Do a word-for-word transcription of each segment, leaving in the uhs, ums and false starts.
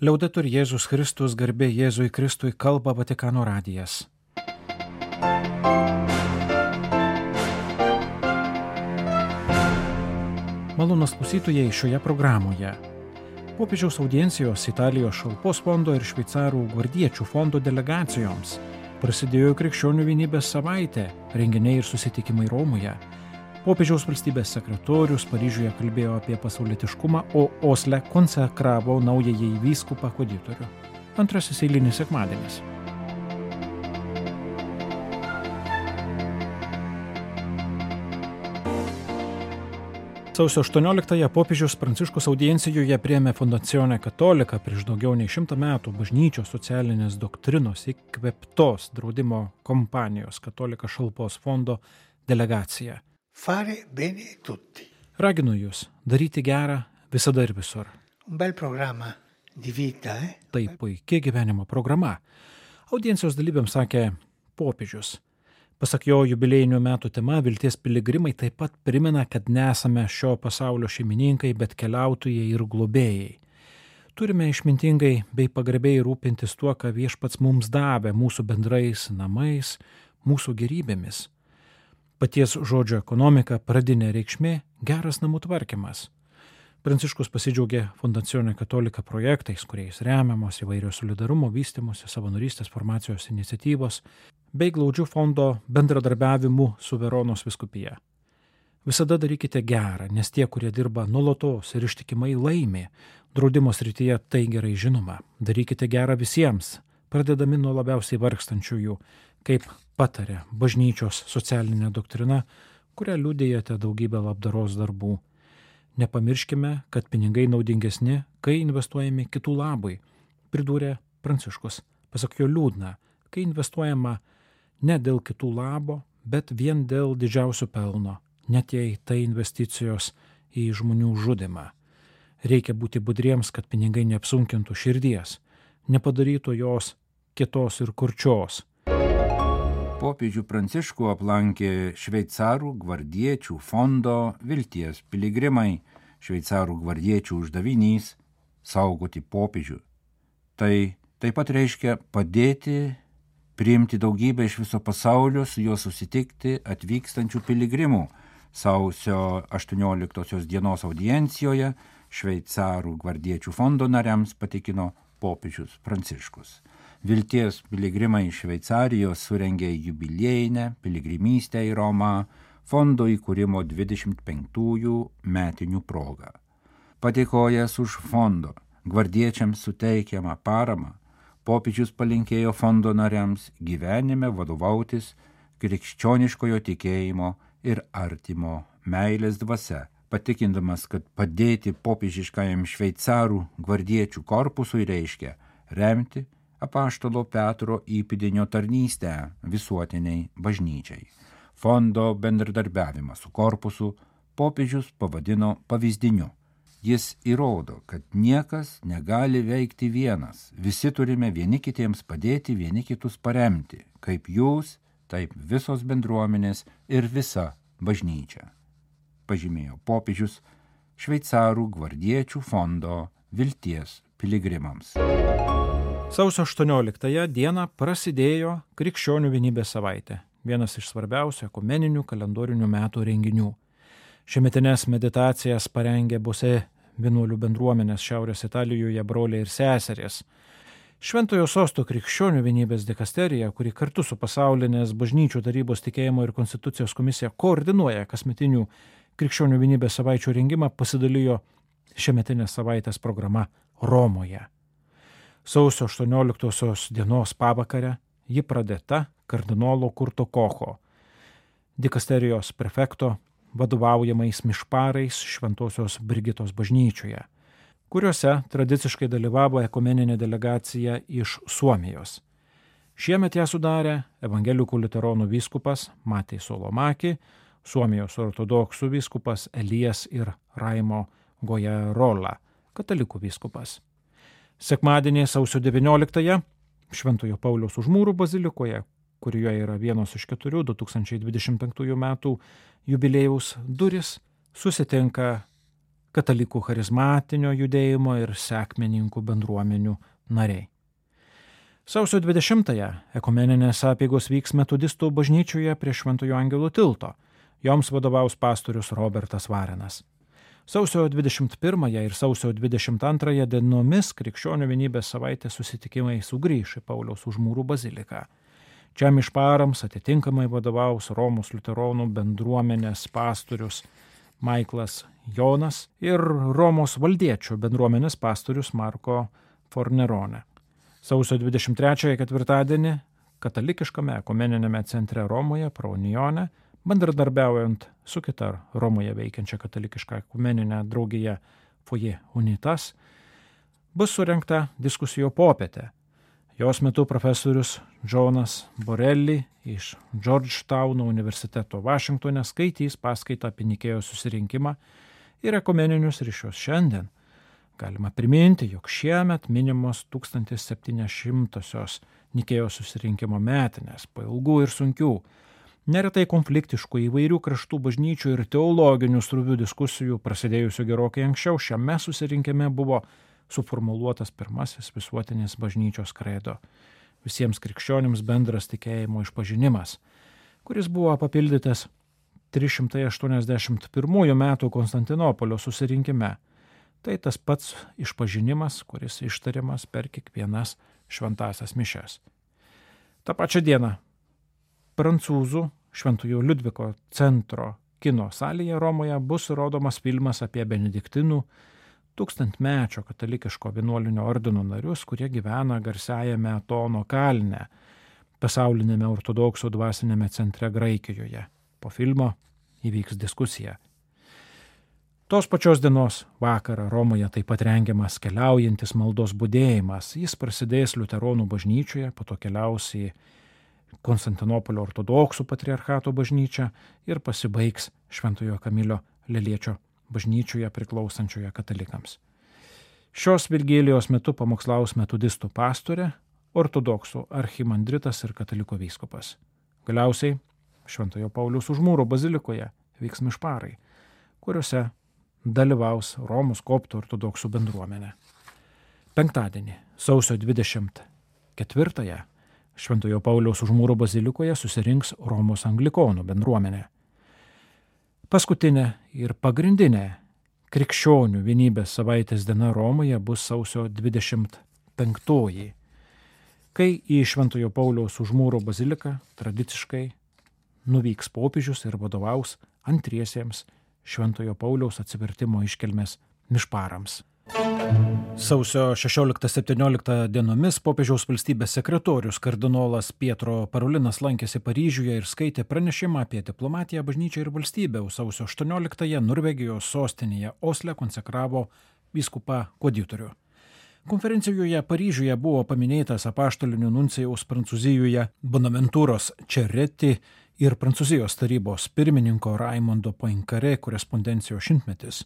Liaudetur Jėzus Kristus, garbė Jėzui Kristui, kalba Vatikano radijas. Malonūs klausytojai, šioje programoje popiežiaus audiencijos Italijos šalpos fondo ir šveicarų gvardiečių fondo delegacijoms prasidėjo Krikščionių vienybės savaitė, renginiai ir susitikimai Romoje. Popiežiaus valstybės sekretorius Paryžiuje kalbėjo apie pasaulietiškumą, o Osle konsekravo naująjį vyskupą koditorių. Antrasis eilinis sekmadienis. Sausio aštuonioliktąją popiežius Pranciškus audiencijoje priėmė Fondazione Cattolica prieš daugiau nei šimtą metų bažnyčios socialinės doktrinos įkvėptos draudimo kompanijos Cattolica šalpos fondo delegaciją. Fare bene tutti. Raginu jūs daryti gerą visada ir visur. Un bel programma di vita, eh? Tai puikia gyvenimo programa. Audiencijos dalyviams sakė popiežius. Pasak jo, jubiliejinių metų tema Vilties piligrimai taip pat primena, kad nesame šio pasaulio šeimininkai, bet keliautojai ir globėjai. Turime išmintingai bei pagarbiai rūpintis tuo, ką Viešpats mums davė, mūsų bendrais namais, mūsų gerybėmis. Paties žodžio ekonomika, pradinė reikšmė, geras namų tvarkymas. Pranciškus pasidžiaugė Fondazione Cattolica projektais, kuriais remiamos įvairios solidarumo vystymosi, savanorystės formacijos iniciatyvos, bei glaudžių fondo bendradarbiavimu su Veronos vyskupija. Visada darykite gerą, nes tie, kurie dirba nuolatos ir ištikimai laimi, draudimo srityje tai gerai žinoma. Darykite gerą visiems, pradedami nuo labiausiai vargstančiųjų, kaip patarė bažnyčios socialinė doktrina, kurią liudijate daugybę labdaros darbų. Nepamirškime, kad pinigai naudingesni, kai investuojami kitų labui, pridūrė Pranciškus. Pasak jo liūdna, kai investuojama ne dėl kitų labo, bet vien dėl didžiausio pelno, net jei tai investicijos į žmonių žudymą. Reikia būti budriems, kad pinigai neapsunkintų širdies, nepadarytų jos kietos ir kurčios. Popiežių Pranciškų aplankė šveicarų gvardiečių fondo Vilties piligrimai. Šveicarų gvardiečių uždavinys – saugoti popiežių. Tai taip pat reiškia padėti priimti daugybę iš viso pasaulio, su juo susitikti atvykstančių piligrimų. Sausio aštuonioliktosios dienos audiencijoje šveicarų gvardiečių fondo nariams patikino popiežius Pranciškus. Vilties piligrimai iš Šveicarijos surengė jubiliejinę piligrimystę į Romą fondo įkūrimo dvidešimt penktųjų metinių progą. Padėkojęs už fondo gvardiečiams suteikiamą paramą, popiežius palinkėjo fondo nariams gyvenime vadovautis krikščioniškojo tikėjimo ir artimo meilės dvasia, patikindamas, kad padėti popiežiškajam šveicarų gvardiečių korpusui reiškia remti apaštalo Petro įpėdinio tarnystę visuotiniai bažnyčiai. Fondo bendradarbiavimą su korpusu popiežius pavadino pavyzdiniu. Jis įrodo, kad niekas negali veikti vienas. Visi turime vieni kitiems padėti, vieni kitus paremti. Kaip jūs, taip visos bendruomenės ir visa bažnyčia. Pažymėjo popiežius šveicarų gvardiečių fondo Vilties piligrimams. Sausio aštuonioliktąją dieną prasidėjo Krikščionių vienybės savaitė, vienas iš svarbiausių ekumeninių kalendorinių metų renginių. Šiemetines meditacijas parengė Bose vienuolių bendruomenės Šiaurės Italijoje broliai ir seserės. Šventojo sosto Krikščionių vienybės dikasterija, kuri kartu su pasaulinės bažnyčių tarybos tikėjimo ir konstitucijos komisija koordinuoja kasmetinių Krikščionių vienybės savaičių rengimą, pasidalijo šiemetinės savaitės programa Romoje. Sausio aštuonioliktosios dienos pavakarę ji pradėta kardinolo Kurto Kocho, dikasterijos prefekto vadovaujamais mišparais Šventosios Brigitos bažnyčioje, kuriuose tradiciškai dalyvavo ekumeninė delegacija iš Suomijos. Šiemet ją sudarė evangelikų liuteronų vyskupas Matej Solomaki, Suomijos ortodoksų vyskupas Elijas ir Raimo Gojarola, katalikų vyskupas. Sekmadienį sausio devynioliktąją Šventojo Pauliaus Užmūrų bazilikoje, kurioje yra vienos iš keturių du tūkstančiai dvidešimt penktųjų metų jubiliejaus durys, susitinka katalikų charizmatinio judėjimo ir sekmininkų bendruomenių nariai. Sausio dvidešimtąją ekumeninės apeigos vyks metodistų bažnyčioje prie Šventojo Angelo tilto. Joms vadovaus pastorius Robertas Varenas. Sausio dvidešimt pirmąją ir sausio dvidešimt antrąją dienomis Krikščionių vienybės savaitės susitikimai sugrįš į Pauliaus Užmūrų baziliką. Čia mišparams atitinkamai vadovaus Romos liuteronų bendruomenės pastorius Maiklas Jonas ir Romos valdiečių bendruomenės pastorius Marko Fornerone. Sausio dvidešimt trečiąją ketvirtadienį katalikiškame ekumeniniame centre Romoje, Praunione, bendradarbiaujant su kita Romoje veikiančia katalikiška ekumeninė draugija Foje Unitas, bus surengta diskusijų popietė. Jos metu profesorius Džonas Borelli iš Georgetowno universiteto Vašingtone skaitys paskaitą apie Nikėjos susirinkimą ir ekumeninius ryšius šiandien. Galima priminti, jog šiemet minimos tūkstantis septyni šimtosios Nikėjos susirinkimo metinės, po ilgų ir sunkių, neretai konfliktiškų įvairių kraštų bažnyčių ir teologinių sruvių diskusijų prasidėjusių gerokai anksčiau, šiame susirinkime buvo suformuluotas pirmasis visuotinis bažnyčios kredo, visiems krikščionims bendras tikėjimo išpažinimas, kuris buvo papildytas trys šimtai aštuoniasdešimt pirmųjų metų Konstantinopolio susirinkime. Tai tas pats išpažinimas, kuris ištariamas per kiekvienas šventąsias mišias. Ta pačia diena prancūzų Šventojo Liudviko centro kino salėje Romoje bus rodomas filmas apie benediktinų tūkstantmečio katalikiško vienuolinio ordino narius, kurie gyvena garsiajame Atono kalne, pasaulinėme ortodoksų dvasinėme centre Graikijoje. Po filmo įvyks diskusija. Tos pačios dienos vakarą Romoje taip pat rengiamas keliaujantis maldos budėjimas. Jis prasidės liuteronų bažnyčioje, po to keliaus į Konstantinopolio ortodoksų patriarchato bažnyčią ir pasibaigs Šventojo Kamilio Leliečio bažnyčioje priklausančioje katalikams. Šios vigėlijos metu pamokslaus metodistų pastorė, ortodoksų archimandritas ir kataliko vyskupas. Galiausiai Šventojo Pauliaus Užmūro bazilikoje vyks mišparai, kuriuose dalyvaus Romos koptų ortodoksų bendruomenė. Penktadienį, sausio dvidešimt ketvirtąją, Šventojo Pauliaus Užmūro bazilikoje susirinks Romos anglikonų bendruomenė. Paskutinė ir pagrindinė krikščionių vienybės savaitės diena Romoje bus sausio dvidešimt penktoji, kai į Šventojo Pauliaus Užmūro baziliką tradiciškai nuvyks popiežius ir vadovaus antriesiems Šventojo Pauliaus atsivertimo iškilmės mišparams. Sausio šešioliktą septynioliktą dienomis popiežiaus valstybės sekretorius kardinolas Pietro Parolinas lankėsi Paryžiuje ir skaitė pranešimą apie diplomatiją, bažnyčią ir valstybę. Sausio aštuonioliktąją Norvegijos sostinėje Osle konsekravo vyskupą Koditorių. Konferencijoje Paryžiuje buvo paminėtas apaštalinių nuncijaus Prancūzijoje Bonaventūros Čereti ir Prancūzijos tarybos pirmininko Raimondo Poincaré korespondencijos šimtmetis.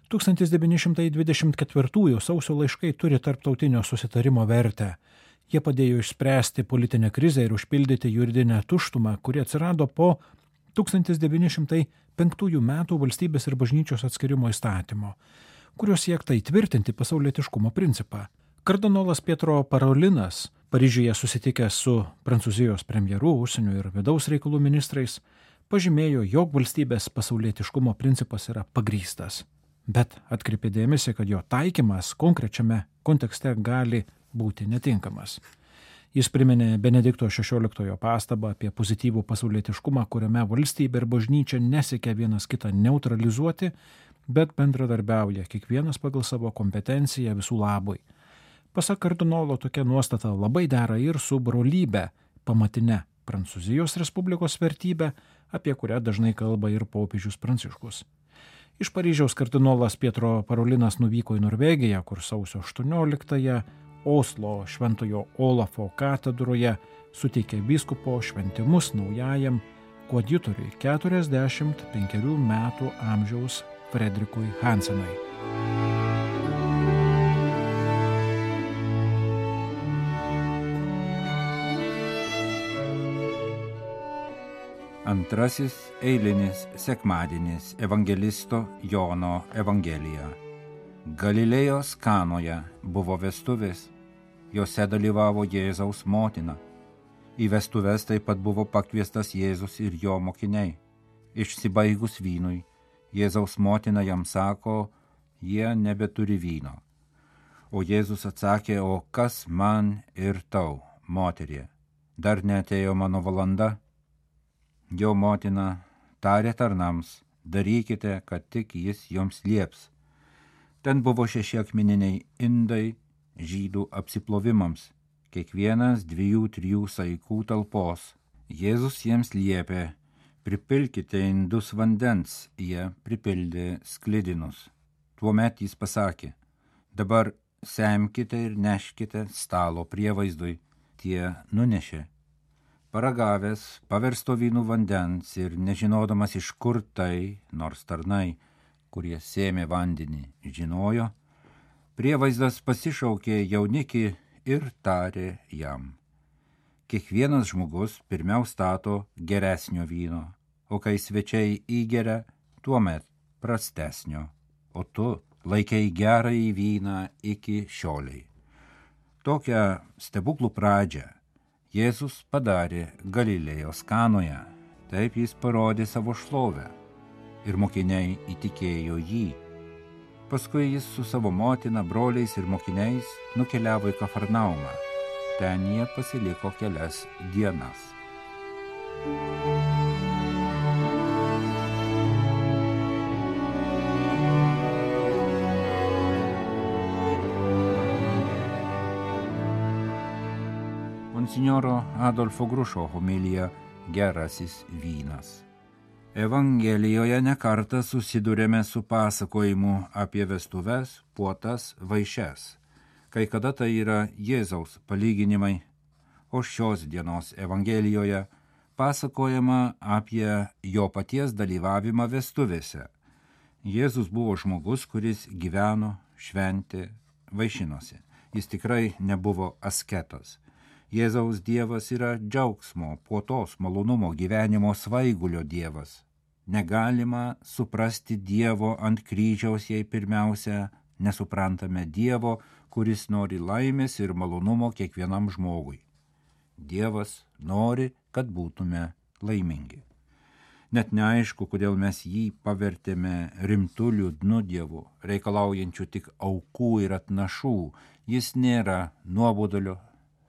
tūkstantis devyni šimtai dvidešimt ketvirtųjų sausio laiškai turi tarptautinio susitarimo vertę. Jie padėjo išspręsti politinę krizę ir užpildyti juridinę tuštumą, kuri atsirado po tūkstantis devyni šimtai penktųjų metų valstybės ir bažnyčios atskirimo įstatymo, kuriuo siekta įtvirtinti pasaulietiškumo principą. Kardinolas Pietro Parolinas, Paryžiuje susitikęs su Prancūzijos premjeru, užsienio ir vidaus reikalų ministrais, pažymėjo, jog valstybės pasaulietiškumo principas yra pagrįstas, bet atkreipė dėmesį, kad jo taikymas konkrečiame kontekste gali būti netinkamas. Jis priminė Benedikto šešioliktojo pastabą apie pozityvų pasaulietiškumą, kuriame valstybė ir bažnyčia nesiekia vienas kitą neutralizuoti, bet bendradarbiauja kiekvienas pagal savo kompetenciją visų labui. Pasak kardinolo, tokia nuostata labai dera ir su brolybe, pamatine Prancūzijos Respublikos vertybė, apie kurią dažnai kalba ir popiežius Pranciškus. Iš Paryžiaus kardinolas Pietro Parolinas nuvyko į Norvegiją, kur sausio aštuonioliktąją Oslo Šventojo Olafo katedroje suteikė vyskupo šventimus naujajam koadjutoriui keturiasdešimt penkerių metų amžiaus Fredrikui Hansenui. Antrasis eilinis sekmadienis evangelisto Jono Evangelija. Galilėjos Kanoje buvo vestuvės, jose dalyvavo Jėzaus motina. Į vestuves taip pat buvo pakviestas Jėzus ir jo mokiniai. Išsibaigus vynui, Jėzaus motina jam sako, jie nebeturi vyno. O Jėzus atsakė, o kas man ir tau, moterie, dar neatėjo mano valanda? Jo motina tarė tarnams, darykite, kad tik jis joms lieps. Ten buvo šeši akmeniniai indai žydų apsiplovimams, kiekvienas dviejų trijų saikų talpos. Jėzus jiems liepė, pripilkite indus vandens, jie pripildė sklidinus. Tuomet jis pasakė, dabar semkite ir neškite stalo prievaizdui, tie nunešė. Paragavęs paversto vynų vandens ir nežinodamas iš kur tai, nors tarnai, kurie sėmė vandenį, žinojo, prievaizdas pasišaukė jaunikį ir tarė jam. Kiekvienas žmogus pirmiau stato geresnio vyno, o kai svečiai įgeria, tuomet prastesnio, o tu laikei gerąjį vyną iki šioliai. Tokią stebuklų pradžią Jėzus padarė Galilėjos Kanoje, taip jis parodė savo šlovę ir mokiniai įtikėjo jį. Paskui jis su savo motina, broliais ir mokiniais nukeliavo į Kafarnaumą. Ten jie pasiliko kelias dienas. Monsinjoro Adolfo Grušo homilija Gerasis vynas. Evangelijoje nekartą susidurėme su pasakojimu apie vestuves, puotas, vaišes. Kai kada tai yra Jėzaus palyginimai, o šios dienos Evangelijoje pasakojama apie jo paties dalyvavimą vestuvėse. Jėzus buvo žmogus, kuris gyveno, šventė, vaišinosi. Jis tikrai nebuvo asketas. Jėzaus Dievas yra džiaugsmo, puotos, malonumo, gyvenimo svaigulio Dievas. Negalima suprasti Dievo ant kryžiaus, jei pirmiausia nesuprantame Dievo, kuris nori laimės ir malonumo kiekvienam žmogui. Dievas nori, kad būtume laimingi. Net neaišku, kodėl mes jį pavertėme rimtu liūdnu Dievu, reikalaujančiu tik aukų ir atnašų. Jis nėra nuobodulio,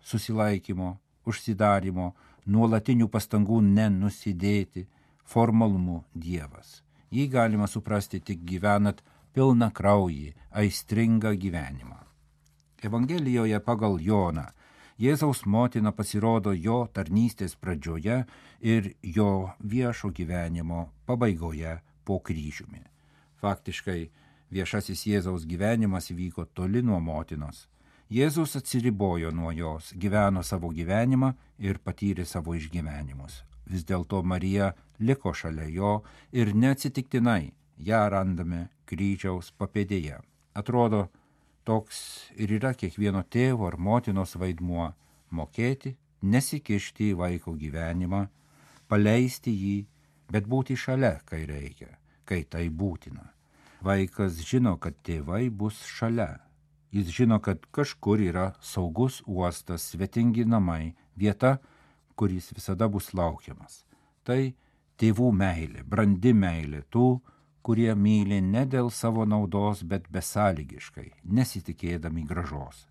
susilaikymo, užsidarimo, nuolatinių pastangų nenusidėti, formalumų Dievas. Jį galima suprasti tik gyvenat pilną kraują, aistringą gyvenimą. Evangelijoje pagal Joną Jėzaus motina pasirodo jo tarnystės pradžioje ir jo viešo gyvenimo pabaigoje po kryžiumi. Faktiškai viešasis Jėzaus gyvenimas vyko toli nuo motinos. Jėzus atsiribojo nuo jos, gyveno savo gyvenimą ir patyrė savo išgyvenimus. Vis dėlto Marija liko šalia jo ir neatsitiktinai ją randame kryžiaus papėdėje. Atrodo, toks ir yra kiekvieno tėvo ar motinos vaidmuo – mokėti, nesikišti į vaiko gyvenimą, paleisti jį, bet būti šalia, kai reikia, kai tai būtina. Vaikas žino, kad tėvai bus šalia. Jis žino, kad kažkur yra saugus uostas, svetingi namai, vieta, kur jis visada bus laukiamas. Tai tėvų meilė, brandi meilė tų, kurie myli ne dėl savo naudos, bet besąlygiškai, nesitikėdami gražos.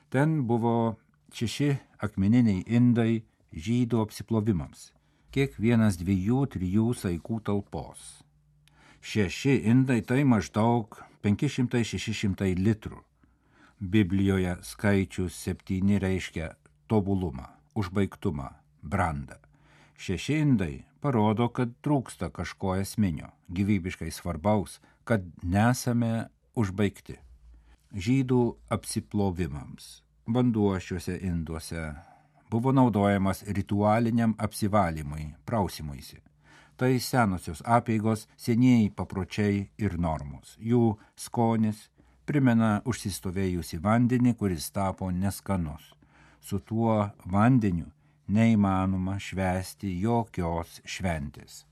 Ten buvo šeši akmeniniai indai žydų apsiplovimams, kiekvienas dviejų, trijų saikų talpos. Šeši indai tai maždaug penki šimtai šeši šimtai litrų. Biblijoje skaičius septyni reiškia tobulumą, užbaigtumą, brandą. Šeši indai parodo, kad trūksta kažko esminio, gyvybiškai svarbaus, kad nesame užbaigti. Žydų apsiplovimams vanduo šiuose induose buvo naudojamas ritualiniam apsivalymui, prausimuisi. Tai senosios apeigos, senieji papročiai ir normos. Jų skonis primena užsistovėjusi vandenį, kuris tapo neskanus. Su tuo vandeniu neįmanoma švęsti jokios šventės.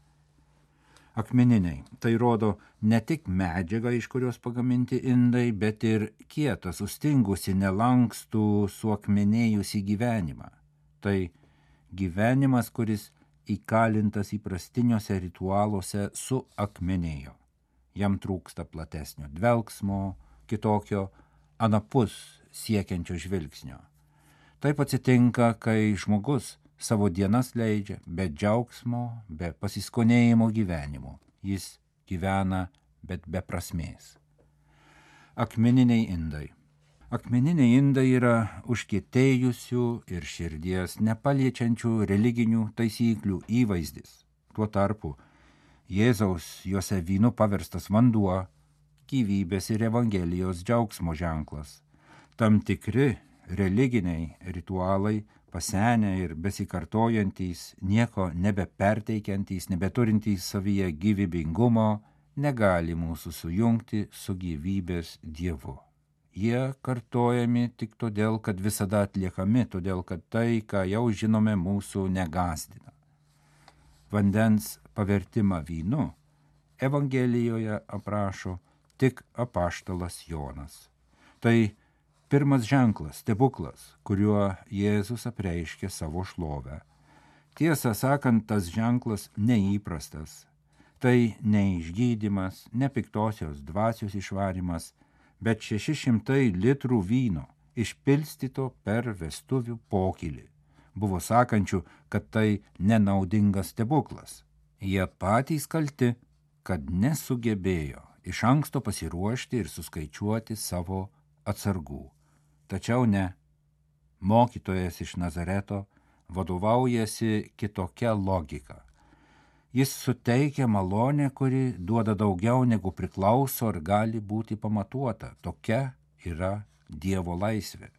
Akmeniniai – tai rodo ne tik medžiagą, iš kurios pagaminti indai, bet ir kietą, sustingusi, nelankstų, suakmenėjusi gyvenimą. Tai gyvenimas, kuris įkalintas įprastiniuose ritualuose suakmenėjo. Jam trūksta platesnio dvelksmo, kitokio anapus siekiančio žvilgsnio. Taip atsitinka, kai žmogus savo dienas leidžia be džiaugsmo, be pasiskonėjimo gyvenimo. Jis gyvena, bet be prasmės. Akmeniniai indai. Akmeniniai indai yra užkietėjusių ir širdies nepaliečiančių religinių taisyklių įvaizdis. Tuo tarpu Jėzaus juose vynu paverstas vanduo, gyvybės ir Evangelijos džiaugsmo ženklas. Tam tikri religiniai ritualai, pasenę ir besikartojantys, nieko nebeperteikiantys, nebeturintys savyje gyvybingumo, negali mūsų sujungti su gyvybės Dievu. Jie kartojami tik todėl, kad visada atliekami, todėl, kad tai, ką jau žinome, mūsų negąsdina. Vandens pavertimą vynu Evangelijoje aprašo tik apaštalas Jonas. Tai pirmas ženklas, stebuklas, kuriuo Jėzus apreiškė savo šlovę. Tiesą sakant, tas ženklas neįprastas. Tai ne išgydymas, ne piktosios dvasios išvarymas, bet šeši šimtai litrų vyno išpilstyto per vestuvių pokylį. Buvo sakančių, kad tai nenaudingas stebuklas. Jie patys kalti, kad nesugebėjo iš anksto pasiruošti ir suskaičiuoti savo atsargų. Tačiau ne, mokytojas iš Nazareto vadovaujasi kitokia logika. Jis suteikia malonę, kuri duoda daugiau negu priklauso ir gali būti pamatuota. Tokia yra Dievo laisvė.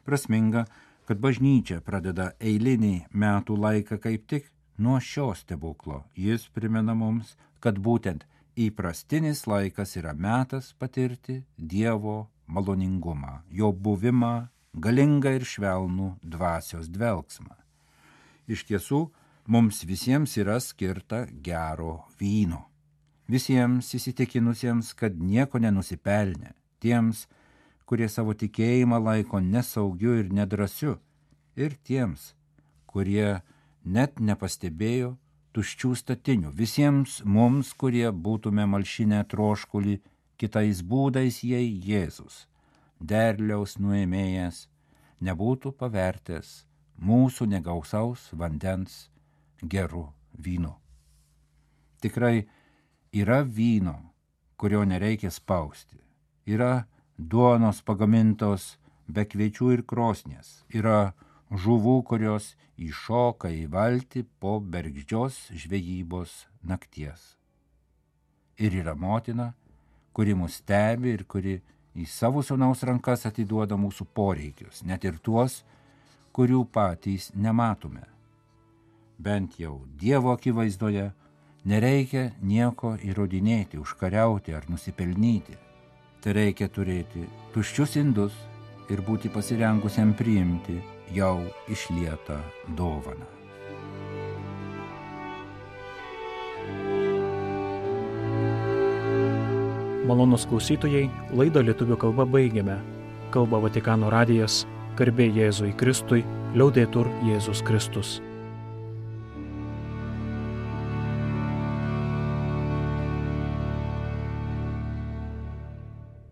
Prasminga, kad bažnyčia pradeda eilinį metų laiką kaip tik nuo šio stebuklo. Jis primena mums, kad būtent įprastinis laikas yra metas patirti Dievo maloningumą, jo buvimą, galingą ir švelnų dvasios dvelksmą. Iš tiesų, mums visiems yra skirta gero vyno. Visiems įsitikinusiems, kad nieko nenusipelnė, tiems, kurie savo tikėjimą laiko nesaugiu ir nedrasiu, ir tiems, kurie net nepastebėjo tuščių statinių, visiems mums, kurie būtume malšinę troškulį kitais būdais, jei Jėzus, derliaus nuėmėjas, nebūtų pavertęs mūsų negausaus vandens geru vynu. Tikrai yra vyno, kurio nereikia spausti. Yra duonos pagamintos be kviečių ir krosnies. Yra žuvų, kurios įšoka į valtį po bergždžios žvejybos nakties. Ir yra motina, kuri mus stebi ir kuri į savo sūnaus rankas atiduoda mūsų poreikius, net ir tuos, kurių patys nematome. Bent jau Dievo akivaizdoje nereikia nieko įrodinėti, užkariauti ar nusipelnyti. Tai reikia turėti tuščius indus ir būti pasirengusiam priimti jau išlietą dovaną. Malonūs klausytojai, laidą lietuvių kalba baigiame. Kalba Vatikano radijas, garbė Jėzui Kristui, liaudetur Jėzus Kristus.